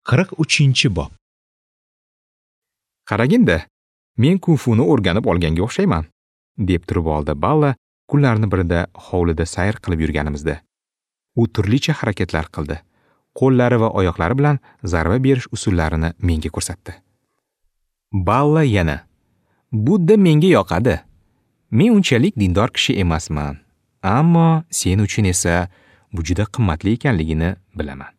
43-bob. Qaraginda, men kung-funi o'rganib olganga o'xshayman, deb turib oldi Balla kunlarni birida hovlida sayr qilib yurganimizda. U turlicha harakatlar qildi. Qo'llari va oyoqlari bilan zarba berish usullarini menga ko'rsatdi. Balla yana: "Budda menga yoqadi. Men unchalik dindor kishi emasman, ammo sen uchun esa bu juda qimmatli ekanligini bilaman.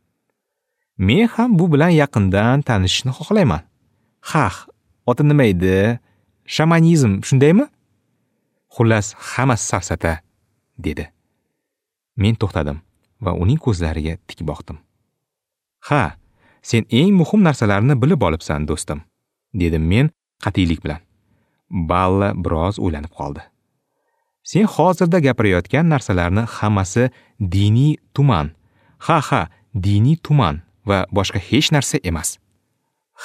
Men ham bu bilan yaqindan tanishishni xohlayman. Xah, oti nima edi? Shamanizm, shundaymi? Xullas, hammasi safsata", dedi. Men to'xtadim va uning ko'zlariga tik boqdim. "Ha, sen eng muhim narsalarni bilib olibsan, do'stim", dedim men qat'iylik bilan. Balla biroz o'ylanib qoldi. "Sen hozirda gapirayotgan narsalarni hammasi diniy tuman. Ha, ha, diniy tuman va boshqa hech narsa emas.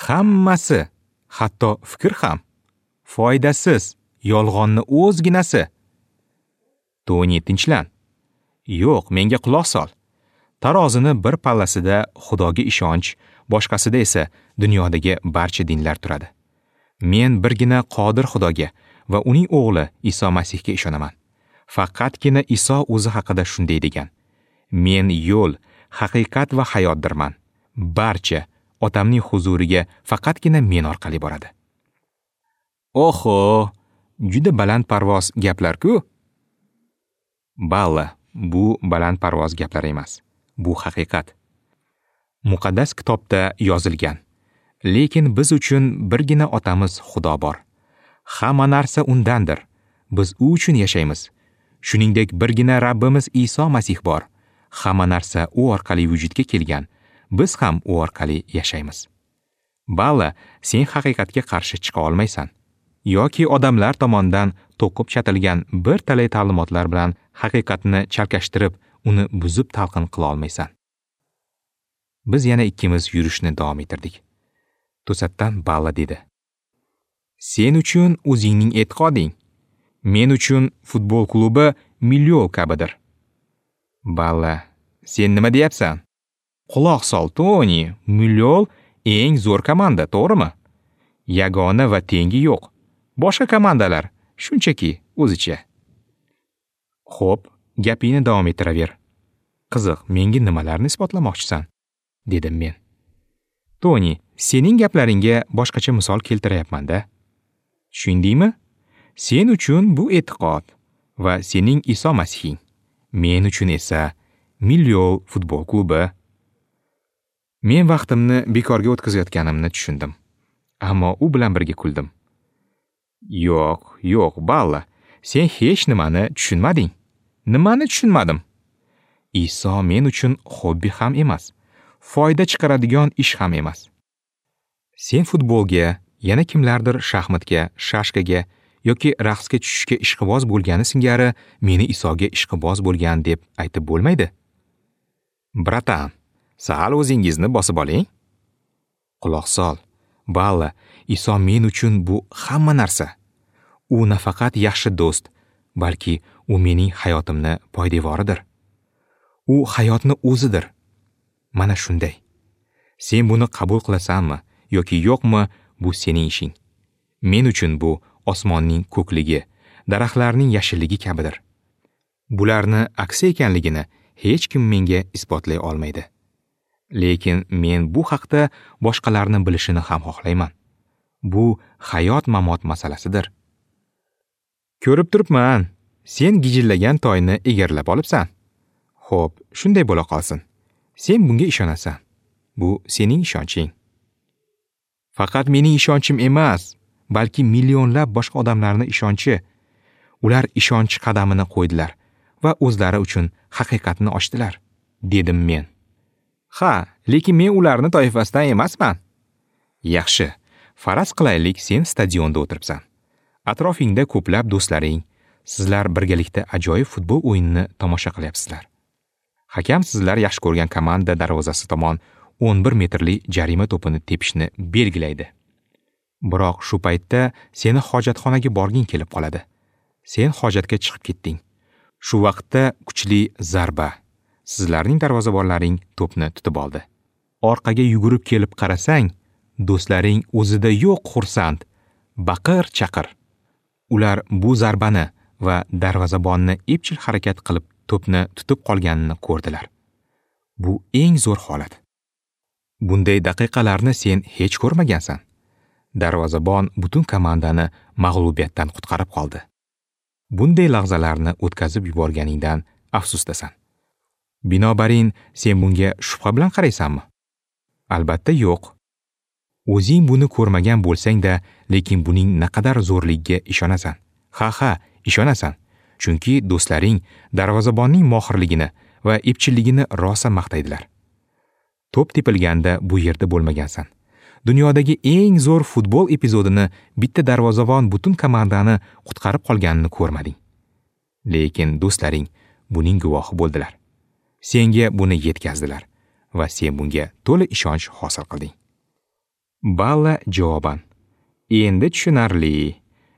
Hammasi, hatto fikr ham foydasiz, yolg'onni o'zginasi. Toni, tinchlan. Yo'q, menga quloq sol. Tarozini bir pallasida Xudoga ishonch, boshqasida esa dunyodagi barcha dinlar turadi. Men birgina qodir Xudoga va uning o'g'li Iso Masihga ishonaman. Faqatgina Iso o'zi haqida shunday degan: Men yo'l, haqiqat va hayotdirman. Barcha otamning huzuriga faqatgina men orqali boradi." Oho, juda balandparvoz gaplar-ku. Balla, bu balandparvoz gaplar emas. Bu haqiqat. Muqaddas kitobda yozilgan. Lekin biz uchun birgina otamiz Xudo bor. Hamma narsa undandir. Biz u uchun yashaymiz. Shuningdek, birgina Rabbimiz Iso Masih bor. Hamma narsa u orqali vujudga kelgan. Biz ham u orqali yashaymiz. Balla, sen haqiqatga qarshi chiqa olmaysan. Yoki odamlar tomonidan to'qib chatilgan bir talay ta'limotlar bilan haqiqatni chalkashtirib, uni buzib talqin qila olmaysan. Biz yana ikkimiz yurishni davom ettirdik. To'satdan Balla dedi: "Sen uchun o'zingning e'tiqoding, men uchun futbol klubi Milliol kabidir." Balla, sen nima deyapsan? Quloq sol, Toni, Milliol eng zo'r komanda, to'g'rimi? Yagona va tengi yo'q. Boshqa komandalar shunchaki o'zicha. Xo'p, gapingni davom ettiraver. Qiziq, menga nimalarni isbotlamoqchisan? Dedim men. Toni, sening gaplaringga boshqacha misol keltirayapman-da. Tushundingmi? Sen uchun bu e'tiqod va sening Iso Masihing. Men uchun esa Milliol futbol klubi. Men vaqtimni bekorga o'tkazayotganimni tushundim. Ammo u bilan birga kuldim. Yo'q, yo'q, Balla, sen hech nimani tushunmading. Nimani tushunmadim? Iso men uchun hobbi ham emas, foyda chiqaradigan ish ham emas. Sen futbolga, yana kimlardir shaxmatga, shashkaga yoki raqsga tushishga ishqiboz bo'lgani singari meni Isoga ishqiboz bo'lgan deb aytib bo'lmaydi. Bratan, sal o'zingizni bosib oling. Quloq sol, Balla, Iso men uchun bu hamma narsa. U nafaqat yaxshi do'st, balki u mening hayotimni poydevoridir. U hayotni o'zidir. Mana shunday. Sen buni qabul qilasanmi yoki yo'qmi, bu sening ishing. Men uchun bu osmonning ko'kligi, daraxtlarning yashilligi kabidir. Bularni aksi ekanligini hech kim menga isbotlay olmaydi. Lekin men bu haqda boshqalarni bilishini ham xohlayman. Bu hayot mamot masalasidir. Ko'rib turibman, sen gijillagan toyni egarlab olibsan. Xo'p, shunday bo'la qolsin. Sen bunga ishonasan. Bu sening ishonching. Faqat mening ishonchim emas, balki millionlab boshqa odamlarning ishonchi. Ular ishonch qadamini qo'ydilar va o'zlari uchun haqiqatni ochdilar, dedim men. Ha, lekin men ularning toifasidan emasman. Yaxshi, faraz qilaylik, sen stadionda o'tiribsan. Atrofingda ko'plab do'stlaring, sizlar birgalikda ajoyib futbol o'yinini tomosha qilyapsizlar. Hakam sizlar yaxshi ko'rgan komanda darvozasi tomon 11 metrli jarima to'pini tepishni belgilaydi. Biroq shu paytda seni hojatxonaga borging kelib qoladi. Sen hojatga chiqib ketding. Shu vaqtda kuchli zarba. Sizlarning darvozabonlaring to'pni tutib oldi. Orqaga yugurib kelib qarasang, do'stlaring o'zida yo'q xursand, baqir-chaqir. Ular bu zarbani va darvozabonni epchil harakat qilib to'pni tutib qolganini ko'rdilar. Bu eng zo'r holat. Bunday daqiqalarni sen hech ko'rmagansan. Darvozabon butun komandani mag'lubiyatdan qutqarib qoldi. Bunday lahzalarni o'tkazib yuborganingdan afsusdasan. Binobarin, sen bunga shubha bilan qaraysanmi? Albatta yo'q. O'zing buni ko'rmagan bo'lsang-da, lekin buning naqadar zo'rligiga ishonasan. Ha, ishonasan. Chunki do'stlaring darvozabonning mohirligini va epchilligini rosa maqtaydilar. To'p tepilganda bu yerda bo'lmagansan. Dunyodagi eng zo'r futbol epizodini bitta darvozabon butun komandani qutqarib qolganini ko'rmading. Lekin do'stlaring buning guvohi bo'ldilar. Senga buni yetkazdilar va sen bunga to'la ishonch hosil qilding. Balla javoban: "Endi tushunarli.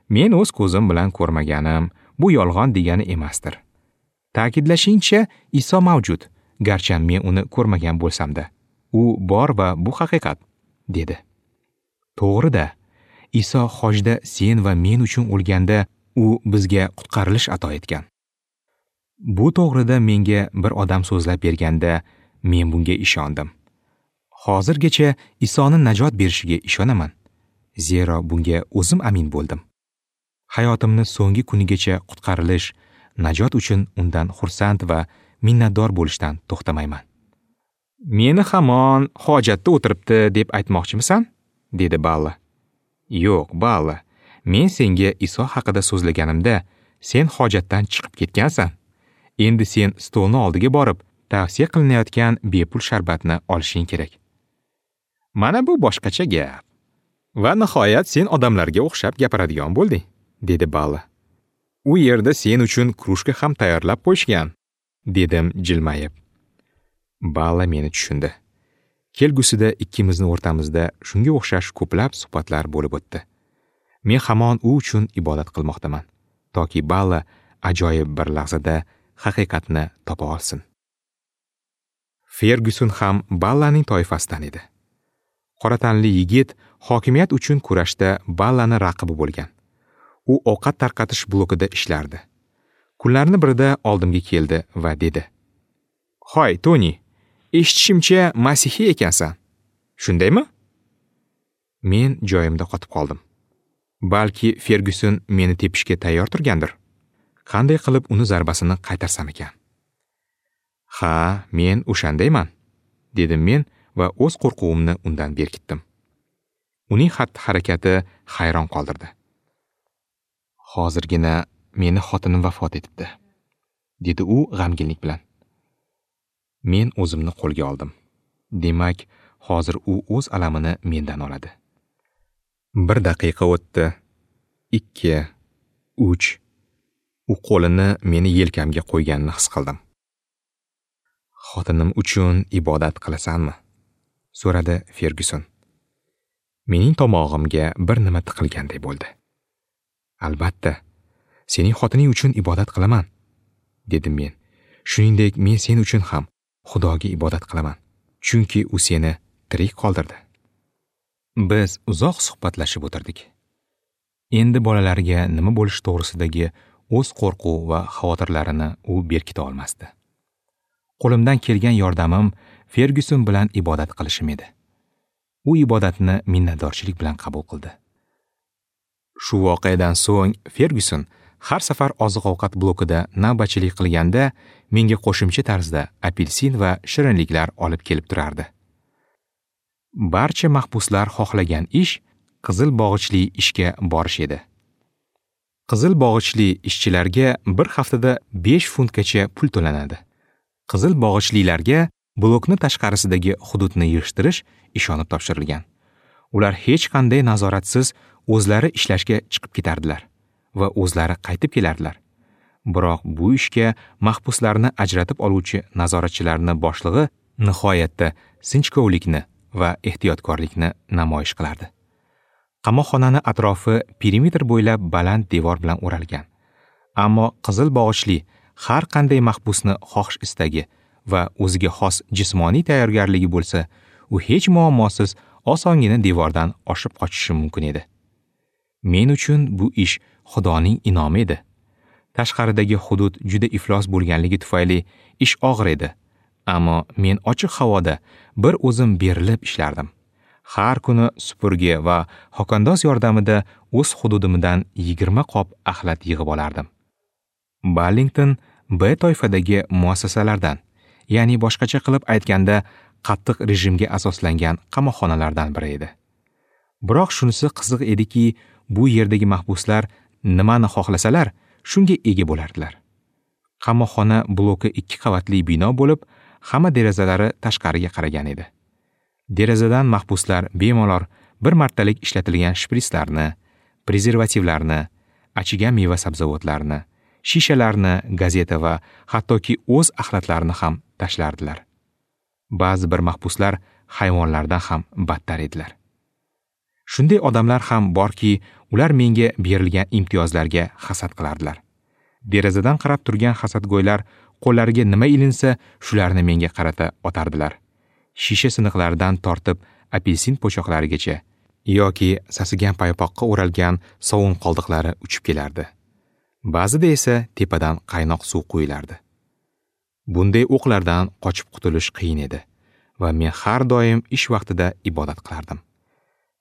Men o'z ko'zim bilan ko'rmaganim bu yolg'on degani emasdir. Ta'kidlashingcha, Iso mavjud, garchi men uni ko'rmagan bo'lsam-da. U bor va bu haqiqat", dedi. To'g'ri-da, Iso hojda sen va men uchun o'lganda u bizga qutqarilish ato etgan. Bu to'g'rida menga bir odam so'zlab berganda men bunga ishondim. Hozirgacha Isoni najot berishiga ishonaman, zero bunga o'zim amin bo'ldim. Hayotimni so'nggi kunigacha qutqarilish, najot uchun undan xursand va minnatdor bo'lishdan to'xtamayman. Meni hamon hojatda o'tiribdi deb aytmoqchimisan? Dedi Balla. Yo'q, Balla, men senga Iso haqida so'zlaganimda sen hojatdan chiqib ketgansan. Endi sen stolni oldiga borib, tavsiya qilinayotgan bepul sharbatni olishing kerak. Mana bu boshqacha gap. Va nihoyat sen odamlarga o'xshab gapiradigan bo'lding, dedi Balla. U yerda sen uchun krujka ham tayyorlab qo'yishgan, dedim jilmayib. Balla meni tushundi. Kelgusida ikkimizni o'rtamizda shunga o'xshash ko'plab suhbatlar bo'lib o'tdi. Men hamon u uchun ibodat qilmoqdaman, toki Balla ajoyib bir lahzada haqiqatni topa olsin. Ferguson ham Ballaning toifasidan edi. Qora tanli yigit hokimiyat uchun kurashda Ballani raqibi bo'lgan. U ovqat tarqatish blokida ishlardi. Kunlarning birida oldimga keldi va dedi: "Hoy, Toni, eshitishimcha masihiy ekansan. Shundaymi?" Men joyimda qotib qoldim. Balki Ferguson meni tepishga tayyor turgandir. Qanday qilib uni zarbasini qaytarsam ekan? Ha, men o'shandayman, dedim men va o'z qo'rquvimni undan berkitdim. Uning xatti-harakati hayron qoldirdi. Hozirgina meni xotinim vafot etibdi, dedi u g'amginlik bilan. Men o'zimni qo'lga oldim. Demak, hozir u o'z alamini mendan oladi. Bir daqiqa o'tdi. 2, 3. U qo'lini meni yelkamga qo'yganini his qildim. Xotinim uchun ibodat qilasanmi? So'radi Ferguson. Mening tomog'imga bir nima tiqilganday bo'ldi. Albatta, sening xotining uchun ibodat qilaman, dedim men. Shuningdek, men sen uchun ham Xudoga ibodat qilaman, chunki u seni tirik qoldirdi. Biz uzoq suhbatlashib o'tirdik. Endi bolalarga nima bo'lishi to'g'risidagi o'z qo'rquv va xavotirlarini u berkita olmasdi. Qo'limdan kelgan yordamim Ferguson bilan ibodat qilishim edi. U ibodatni minnatdorchilik bilan qabul qildi. Shu voqeadan so'ng Ferguson har safar oziq-ovqat blokida navbatchilik qilganda menga qo'shimcha tarzda apelsin va shirinliklar olib kelib turardi. Barcha mahbuslar xohlagan ish qizil bog'ichli ishga borish edi. Qizil bog'ichli ishchilarga bir haftada 5 funtgacha pul to'lanadi. Qizil bog'ichlilarga blokni tashqarisidagi hududni yig'ishtirish ishonib topshirilgan. Ular hech qanday nazoratsiz o'zlari ishlashga chiqib ketardilar va o'zlari qaytib kelardilar. Biroq bu ishga mahbuslarni ajratib oluvchi nazoratchilarning boshlig'i nihoyatda sinchkovlikni va ehtiyotkorlikni namoyish qilardi. Qamoqxonani atrofi perimetr bo'ylab baland devor bilan o'ralgan. Ammo qizil bog'ichli har qanday mahbusni xohish istagi va o'ziga xos jismoniy tayyorgarligi bo'lsa, u hech muammosiz osongina devordan oshib qochishi mumkin edi. Men uchun bu ish Xudoning in'omi edi. Tashqaridagi hudud juda iflos bo'lganligi tufayli ish og'ir edi. Ammo men ochiq havoda bir o'zim berilib ishlardim. Har kuni supurgi va xokandoz yordamida o'z hududimdan 20 qop axlat yig'ib olardim. Ballington B toifadagi muassasalardan, ya'ni boshqacha qilib aytganda, qattiq rejimga asoslangan qamoqxonalardan biri edi. Biroq shunisi qiziq ediki, bu yerdagi mahbuslar nimani xohlasalar, shunga ega bo'lardilar. Qamoqxona bloki 2 qavatli bino bo'lib, hamma derazalari tashqariga qaragan edi. Derazadan mahbuslar bemalol bir martalik ishlatilgan shprislarni, prezervativlarni, achigan meva-sabzavotlarni, shishalarni, gazeta va hattoki o'z axlatlarini ham tashlardilar. Ba'zi bir mahbuslar hayvonlardan ham battar edilar. Shunday odamlar ham borki, ular menga berilgan imtiyozlarga hasad qilardilar. Derazadan qarab turgan hasadgo'ylar qo'llariga nima ilinsa, shularni menga qarata otardilar. Shisha siniqlaridan tortib apelsin po'choqlarigacha yoki sasigan paypoqqa o'ralgan sovun qoldiqlari uchib kelardi. Ba'zida esa tepadan qaynoq suv quyilardi. Bunday o'qlardan qochib qutulish qiyin edi va men har doim ish vaqtida ibodat qilardim.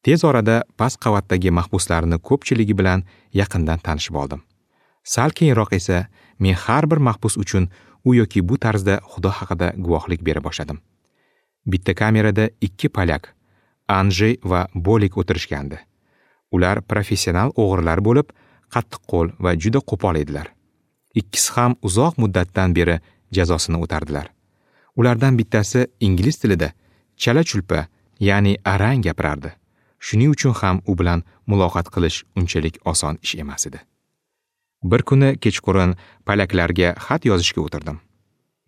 Tez orada past qavatdagi mahbuslarni ko'pchiligi bilan yaqindan tanishib oldim. Sal keyinroq esa men har bir mahbus uchun u yoki bu tarzda Xudo haqida guvohlik bera boshladim. Bitta kamerada 2 polyak, Anjey va Bolik o'tirishgandi. Ular professional o'g'rilar bo'lib, qattiqqo'l va juda qo'pol edilar. Ikkisi ham uzoq muddatdan beri jazosini o'tardilar. Ulardan bittasi ingliz tilida chala-chulpa, ya'ni arang gapirardi. Shuning uchun ham u bilan muloqot qilish unchalik oson ish emas edi. Bir kuni kechqurun polyaklarga xat yozishga o'tirdim.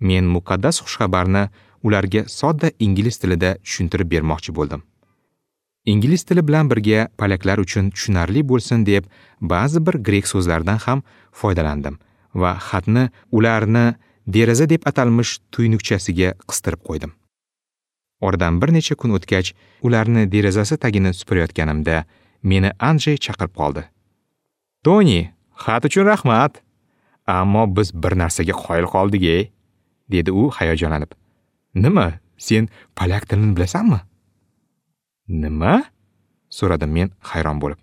Men muqaddas xushxabarni ularga sodda ingliz tilida tushuntirib bermoqchi bo'ldim. Ingliz tili bilan birga polyaklar uchun tushunarli bo'lsin deb ba'zi bir grek so'zlaridan ham foydalandim va xatni ularni deraza deb atalmish tuynukchasiga qistirib qo'ydim. Oradan bir necha kun o'tgach, ularni derazasi tagini supurayotganimda meni Anjey chaqirib qoldi. "Toni, xat uchun rahmat. Ammo biz bir narsaga qoyil qoldik-ey", dedi u hayajonlanib. "Nima? Sen polyak tilini bilasanmi?" "Nima?" so'radim men hayron bo'lib.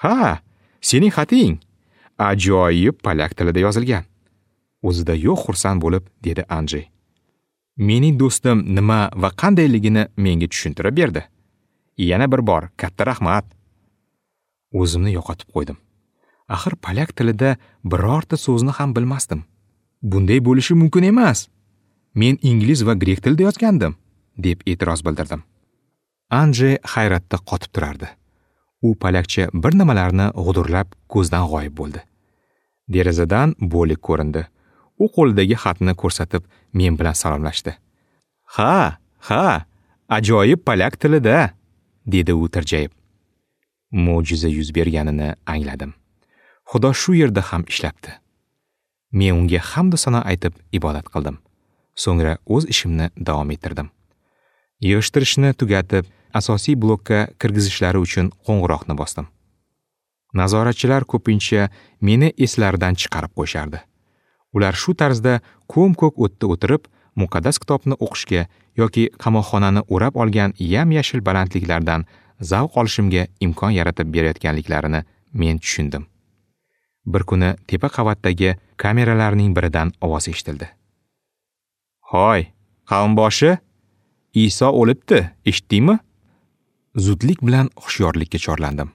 "Ha, sening xating ajoyib polyak tilida yozilgan." O'zida yo'q xursand bo'lib dedi Anjey. Mening do'stim nima va qandayligini menga tushuntirib berdi. Yana bir bor katta rahmat. O'zimni yo'qotib qo'ydim. Axir polyak tilida birorta so'zni ham bilmasdim. Bunday bo'lishi mumkin emas. Men ingliz va grek tilida yozgandim, deb e'tiroz bildirdim. Anjey hayratda qotib turardi. U polyakcha bir nimalarni g'udurlab ko'zdan g'oyib bo'ldi. Derazadan Bolik ko'rindi. U qo'lidagi xatni ko'rsatib men bilan salomlashdi. "Ha, ha, ajoyib polyak tilida", dedi u tirjayib. Mo'jiza yuz berganini angladim. Xudo shu yerda ham ishlabdi. Men unga hamd va sano aytib ibodat qildim. So'ngra o'z ishimni davom ettirdim. Yig'ishtirishni tugatib, asosiy blokka kirgizishlari uchun qo'ng'iroqni bosdim. Nazoratchilar ko'pincha meni eslaridan chiqarib qo'yishardi. Ular shu tarzda ko'm-ko'k o'tda o'tirib, muqaddas kitobni o'qishga yoki qamoqxonani o'rab olgan yam-yashil balandliklardan zavq olishimga imkon yaratib berayotganliklarini men tushundim. Bir kuni tepa qavatdagi kameralarning biridan ovoz eshitildi. "Hoy, qavmboshi, Iso o'libdi, eshitdingmi?" Zudlik bilan hushyorlikka chorlandim.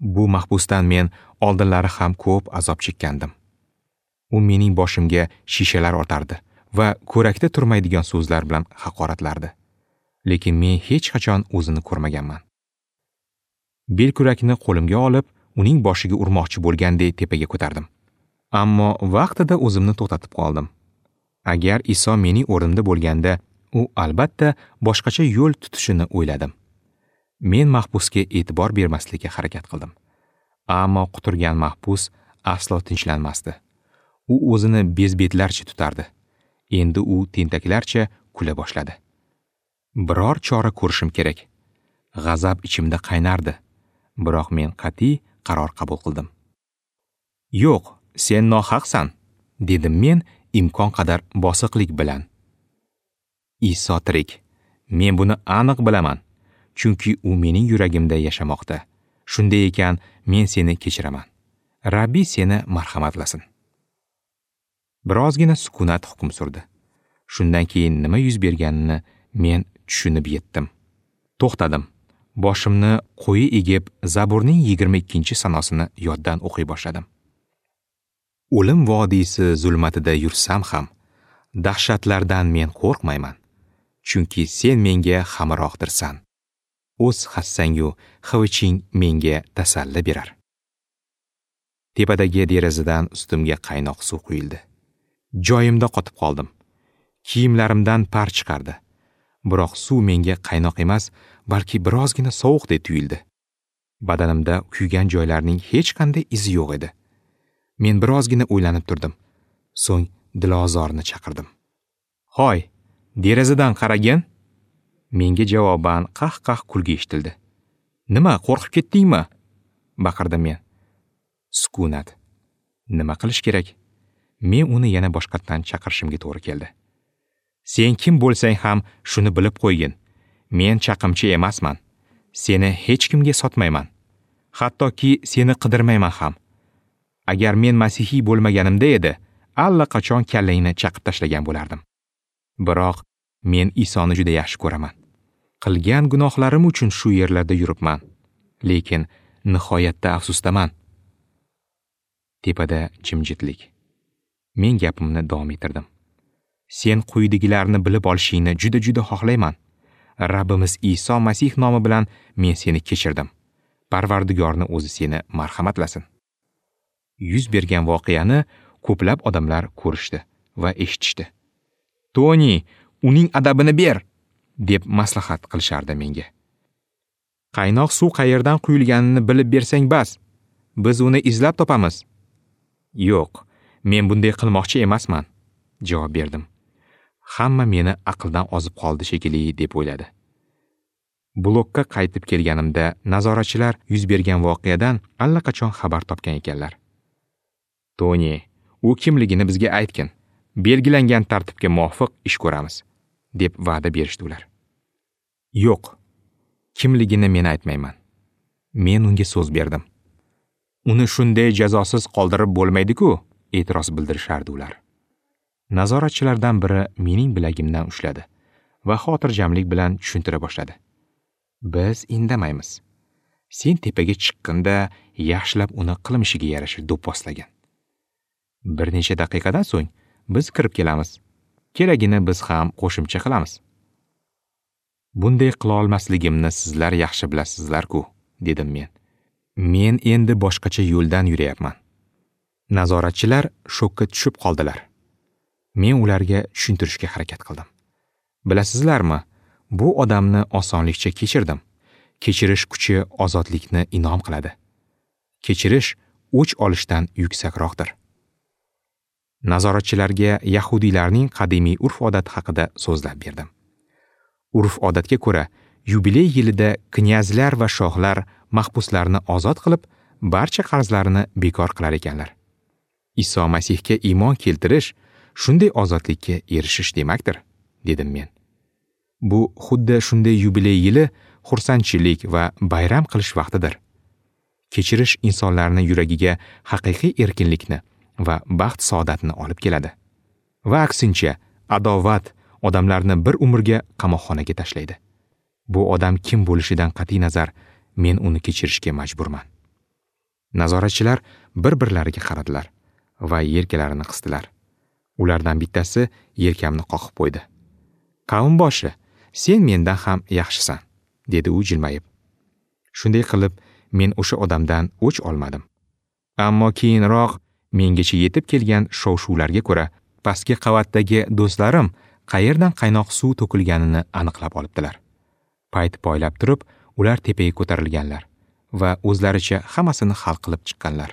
Bu mahbusdan men oldinlari ham ko'p azob chekkandim. U mening boshimga shishalar otardi va ko'rakda turmaydigan so'zlar bilan haqoratlardi. Lekin men hech qachon o'zini ko'rmaganman. Belkurakni qo'limga olib, uning boshiga urmoqchi bo'lganday tepaga ko'tardim. Ammo vaqtida o'zimni to'xtatib qoldim. Agar Iso mening o'rnimda bo'lganda, u albatta boshqacha yo'l tutishini o'yladim. Men mahbusga e'tibor bermaslikka harakat qildim. Ammo quturgan mahbus aslo tinchlanmasdi. U o'zini bezbetlarcha tutardi. Endi u tentaklarcha kula boshladi. Biror chora ko'rishim kerak. G'azab ichimda qaynardi, biroq men qat'iy qaror qabul qildim. "Yo'q, sen nohaqsan", dedim men imkon qadar bosiqlik bilan. Iso tirik. Men buni aniq bilaman, chunki u mening yuragimda yashamoqda. Shunday ekan, men seni kechiraman. Rabbi seni marhamatlasin. Birozgina sukunat hukm surdi. Shundan keyin nima yuz berganini men tushunib yetdim. To'xtadim. Boshimni quyi egib, Zaburning 22-sanosini yoddan o'qiy boshladim. O'lim vodiysi zulmatida yursam ham, dahshatlardan men qo'rqmayman, chunki sen menga hamrohdirsan. O'z hassangu xiviching menga tasalli berar. Tepadagi derazadan ustimga qaynoq suv quyildi. Joyimda qotib qoldim. Kiyimlarimdan par chiqardi. Biroq suv menga qaynoq emas, balki birozgina sovuqdek tuyuldi. Badanimda kuygan joylarning hech qanday izi yo'q edi. Men birozgina o'ylanib turdim. So'ng Dilozorni chaqirdim. "Hoy, derazadan qaragin." Menga javoban qah-qah kulgi eshitildi. "Nima, qo'rqib ketdingmi?" baqirdim men. Sukunat. Nima qilish kerak? Men uni yana boshqatdan chaqirishimga to'g'ri keldi. "Sen kim bo'lsang ham shuni bilib qo'ygin. Men chaqimchi emasman. Seni hech kimga sotmayman. Hattoki seni qidirmayman ham. Agar men masihiy bo'lmaganimda edi, allaqachon kallangni chaqib tashlagan bo'lardim. Biroq men Isoni juda yaxshi ko'raman. Qilgan gunohlarim uchun shu yerlarda yuribman. Lekin nihoyatda afsusdaman." Tepada jimjitlik. Men gapimni davom ettirdim. "Sen quyidagilarni bilib olishingni juda-juda xohlayman. Rabbimiz Iso Masih nomi bilan men seni kechirdim. Parvardigorni o'zi seni marhamatlasin." Yuz bergan voqeani ko'plab odamlar ko'rishdi va eshitishdi. "Toni, uning adabini ber", deb maslahat qilishardi menga. "Qaynoq suv qayerdan quyilganini bilib bersang bas, biz uni izlab topamiz." "Yo'q, men bunday qilmoqchi emasman", javob berdim. Hamma meni aqldan ozib qoldi shekilli deb o'yladi. Blokka qaytib kelganimda nazoratchilar yuz bergan voqeadan allaqachon xabar topgan ekanlar. "Toni, u kimligini bizga aytgin. Belgilangan tartibga muvofiq ish ko'ramiz", deb va'da berishdi ular. "Yo'q, kimligini men aytmayman. Men unga so'z berdim. Uni shunday jazosiz qoldirib bo'lmaydi-ku", e'tiroz bildirishardi ular. Nazoratchilardan biri mening bilagimdan ushladi va xotirjamlik bilan tushuntira boshladi. "Biz indamaymiz. Sen tepaga chiqqanda yaxshilab uni qilmishiga yarasha do'pposlagin. Bir necha daqiqadan so'ng biz kirib kelamiz. Keragini biz ham qo'shimcha qilamiz." "Bunday qila olmasligimni sizlar yaxshi bilasizlar-ku", dedim men. "Men endi boshqacha yo'ldan yurayapman." Nazoratchilar shokka tushib qoldilar. Men ularga tushuntirishga harakat qildim. "Bilasizlarmi, bu odamni osonlikcha kechirdim. Kechirish kuchi ozodlikni inom qiladi. Kechirish o'ch olishdan yuksakroqdir." Nazoratchilarga yahudiylarning qadimiy urf-odati haqida so'zlab berdim. Urf-odatga ko'ra, yubiley yilida knyazlar va shohlar mahbuslarni ozod qilib, barcha qarzlarini bekor qilar ekanlar. Iso Masihga iymon keltirish shunday ozodlikka erishish demakdir, dedim men. Bu xuddi shunday yubiley yili xursandchilik va bayram qilish vaqtidir. Kechirish insonlarning yuragiga haqiqiy erkinlikni va baxt saodatni olib keladi. Va aksincha, adovat odamlarni bir umrga qamoqxonaga tashlaydi. Bu odam kim bo'lishidan qat'iy nazar, men uni kechirishga majburman. Nazoratchilar bir-birlariga qaradilar va yelkalarini qisdilar. Ulardan bittasi yelkamni qoqib qo'ydi. "Qavmboshi, sen mendan ham yaxshisan", dedi u jilmayib. Shunday qilib, men o'sha odamdan o'ch olmadim. Ammo keyinroq mengacha yetib kelgan shov-shuvlarga ko'ra, pastki qavatdagi do'stlarim qayerdan qaynoq suv to'kilganini aniqlab olibdilar. Payt poylab turib, ular tepaga ko'tarilganlar va o'zlaricha hammasini hal qilib chiqqanlar.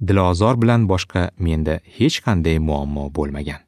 Dilozor bilan boshqa menda hech qanday muammo bo'lmagan.